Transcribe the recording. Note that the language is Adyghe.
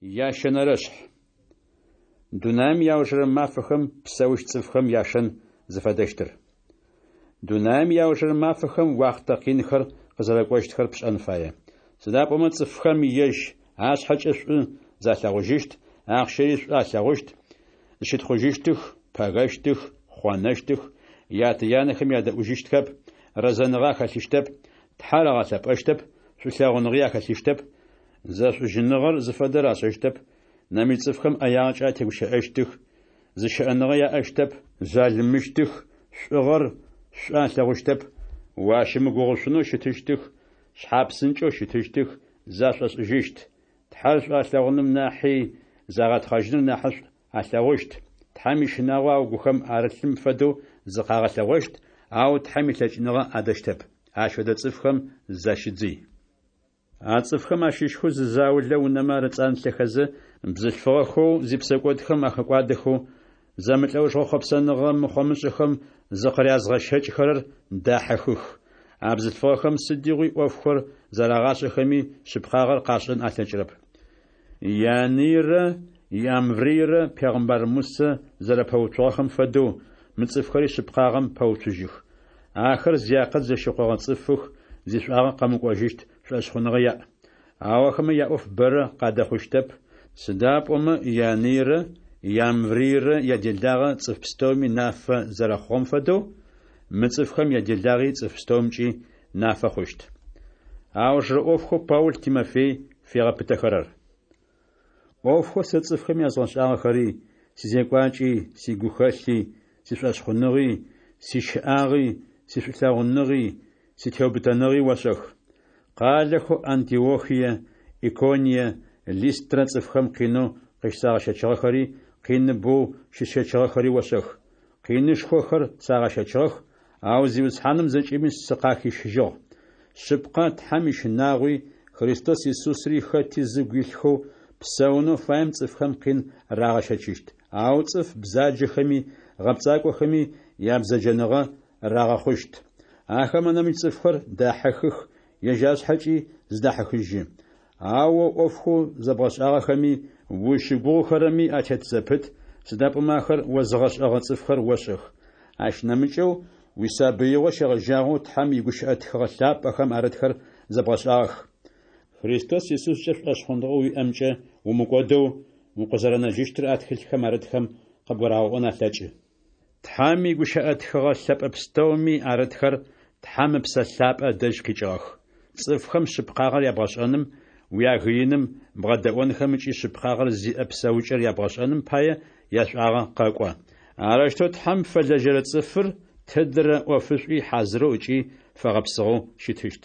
Ящэнэрэшъхь. Дунаим иаужырэ мафэхэм псэущт цӏыфхэм яшэн зыфэдэщтыр. Дунаим иаужырэ мафэхэм уахътэ къинхэр къызэрэкӏощтхэр пшӏэн фае. Сыда пӏомэ цӏыфхэм ежь ашъхьэкӏэ шӏу залъэгъужьыщт, ахъщэри шӏу алъэгъущт, зыщытхъужьыщтых, пэгэщтых, хъонэщтых, ятэ-янэхэм ядэӏужьыщтхэп, рэзэныгъэ ахэлъыщтэп, Тхьэр агъэлъэпӏэщтэп, шӏулъэгъуныгъи ахэлъыщтэп, зэшӏужьыныгъэр зыфэдэр ашӏэщтэп, нэмыкӏ цӏыфхэм ӏэягъэкӏэ атегущыӏэщтых, зыщыӏэныгъэ яӏэщтэп, жъалымыщтых, шӏугъэр шӏу алъэгъущтэп, уащымыгугъышъунэу щытыщтых, шъхьапсынкӏэу щытыщтых, зашӏошӏыжьыщт, Тхьэр шӏу алъэгъуным нахьи загъэтхъэжьыныр нахьышӏу алъэгъущт, Тхьэм ищынагъо агухэм арылъым фэдэу зыкъагъэлъэгъощт, ау Тхьэм илъэкӏыныгъэ адэщтэп. Ащ фэдэ цӏыфхэм защыдзый. А цӏыфхэм ащыщхэу зы заулэ унэмэ арыцӏанлъэхэзэ, бзылъфыгъэхэу зипсэкӏодхэм ахэкӏуадэхэу, зэмылӏэужыгъо хъопсэныгъэ мыхъомышӏэхэм зыкъырязгъэщэкӏхэрэр дахьыхых. А бзылъфыгъэхэм сыдигъуи ӏофхэр зэрагъашӏэхэми, шъыпкъагъэр къашӏэн алъэкӏырэп. Ианыйрэ Иамврыйрэ пегъымбар Мусэ зэрэпэуцугъэхэм фэдэу, мы цӏыфхэри шъыпкъагъэм пэуцужьых. Ахэр зиакъыл зэщыкъогъэ цӏыфых, зишӏуагъэ къэмыкӏожьыщт шӏошъхъуныгъэ яӏ. Ау ахэмэ яӏоф бэрэ къадэхъущтэп, сыда пӏомэ Ианыйрэ Иамврыйрэ яделагъэ цӏыф пстэуми нафэ зэрэхъугъэм фэдэу, мы цӏыфхэм яделагъи цӏыф пстэумкӏи нафэ хъущт. Аужырэ ӏофхэу Паул Тимофей фигъэпытэхэрэр. ӏофхэу сэ цӏыфхэм язгъэшӏагъэхэри, сизекӏуакӏи, сигухэлъи, сишӏошъхъуныгъи, сищыӏагъи, сишӏулъэгъуныгъи, ситеубытэныгъи ошӏэх. Къалэхэу Антиохие, Иконие, Листрэ цӏыфхэм къинэу къыщысагъэщэчыгъэхэри, къиныбэу щысщэчыгъэхэри ошӏэх. Къинышхохэр сагъэщэчыгъэх, ау Зиусхьаным зэкӏэми сыкъахищыжьыгъ. Шъыпкъэ, Тхьэм ищынагъуи, Христос Исусри хэти зыгу илъхэу псэунэу фаем цӏыфхэм къин рагъэщэчыщт. Ау цӏыф бзаджэхэми гъэпцӏакӏохэми ябзэджэныгъэ рагъэхъущт. Ахэмэ нэмыкӏ цӏыфхэр дахьыхых, ежь ашъхьэкӏи зыдахьыхыжьы. Ау о ӏофхэу зэбгъэшӏагъэхэми, узщыгугъыхэрэми атет зэпыт, сыда пӏомэ ахэр озыгъэшӏэгъэ цӏыфхэр ошӏэх. Ащ нэмыкӏэу, уисабыигъо щегъэжьагъэу Тхьэм игущыӏэ тхыгъэ лъапӏэхэм арытхэр зэбгъэшӏагъэх. Христос Исускӏэ шӏошъхъуныгъэу уиӏэмкӏэ умыкӏодэу укъызэрэнэжьыщтыр а тхылъхэм арытхэм къыбгурагъэӏон алъэкӏы. Тхьэм игущыӏэ тхыгъэ лъэпӏэ пстэуми арытхэр Тхьэм Ыпсэ Лъапӏэ ыдэжь къикӏыгъэх. Цӏыфхэм шъыпкъагъэр ябгъэшӏэным, уягыиным, бгъэдэӏонхэм ыкӏи шъыпкъагъэр зиӏэ псэукӏэр ябгъэшӏэным пае яшӏуагъэ къэкӏо. Арэущтэу Тхьэм фэлэжьэрэ цӏыфыр тыдрэ ӏофышӏуи хьазырэу ыкӏи фэгъэпсыгъэу щытыщт.